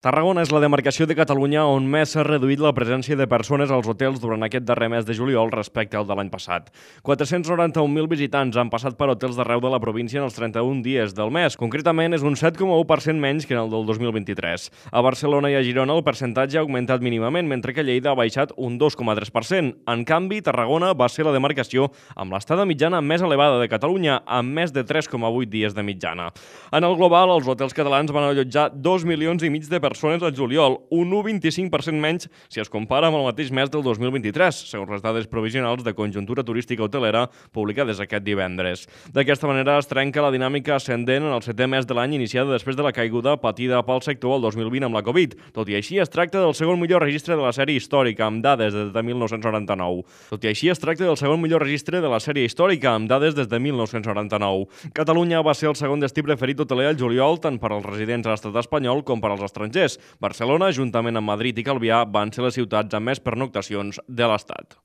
Tarragona és la demarcació de Catalunya on més s'ha reduït la presència de persones als hotels durant aquest darrer mes de juliol respecte al de l'any passat. 491.000 visitants han passat per hotels d'arreu de la província en els 31 dies del mes. Concretament, és un 7,1% menys que en el del 2023. A Barcelona i a Girona el percentatge ha augmentat mínimament, mentre que Lleida ha baixat un 2,3%. En canvi, Tarragona va ser la demarcació amb l'estada mitjana més elevada de Catalunya, amb més de 3,8 dies de mitjana. En el global, els hotels catalans van allotjar 2,5 milions de persones al juliol, un 1,25% menys si es compara amb el mateix mes del 2023, segons les dades provisionals de conjuntura turística hotelera publicades aquest divendres. D'aquesta manera es trenca la dinàmica ascendent en el 7è mes de l'any iniciada després de la caiguda patida pel sector el 2020 amb la Covid. Tot i així, es tracta del segon millor registre de la sèrie històrica, amb dades des de 1999. Catalunya va ser el segon destí preferit hoteler al juliol tant per als residents a l'estat espanyol com per als estrangers. Barcelona, juntament amb Madrid i Calvià, van ser les ciutats amb més pernoctacions de l'Estat.